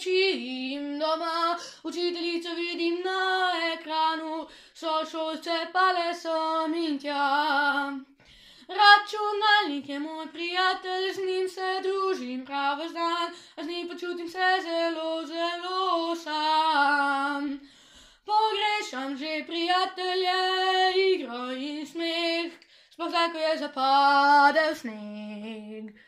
učím doma, učiteljico vidim na ekranu, sošolce pa le sem in tja. Računalnik je moj prijatelj, z njim se družim prav ves dan, a z njim počutim se zelo, zelo sam. Pogrešam že prijatelje, igro in smeh, sploh zdaj, ko je zapadel sneg.